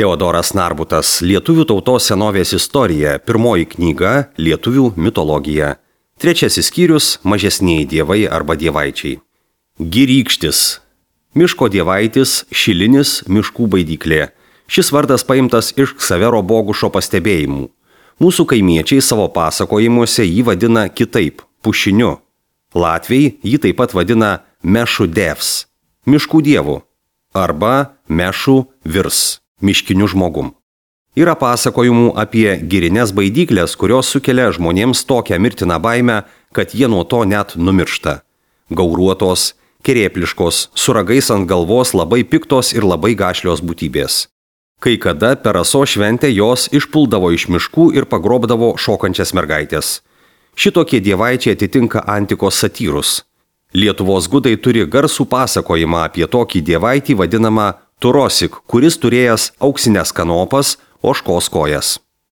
Teodoras Narbutas, Lietuvių tautos senovės istorija, pirmoji knyga Lietuvių mitologija. Trečiasis skyrius – mažesnieji dievai arba dievaičiai. Girykštis. Miško dievaitis, šilinis, miškų baidyklė. Šis vardas paimtas iš Ksavero Bogušo pastebėjimų. Mūsų kaimiečiai savo pasakojimuose jį vadina kitaip – pušiniu. Latviai jį taip pat vadina Mešų devs – miškų dievu arba Mešų virs – miškiniu žmogum. Yra pasakojimų apie girines baidyklės, kurios sukelia žmonėms tokią mirtiną baimę, kad jie nuo to net numiršta. Gauruotos, kerėpliškos, su ragais ant galvos labai piktos ir labai gašlios būtybės. Kai kada per Rasos šventę jos išpuldavo iš miškų ir pagrobdavo šokančias mergaitės. Šitokie dievaičiai atitinka antikos satyrus. Lietuvos gudai turi garsų pasakojimą apie tokį dievaitį vadinamą Turosik, kuris turėjęs auksinės kanopas, ožkos kojas.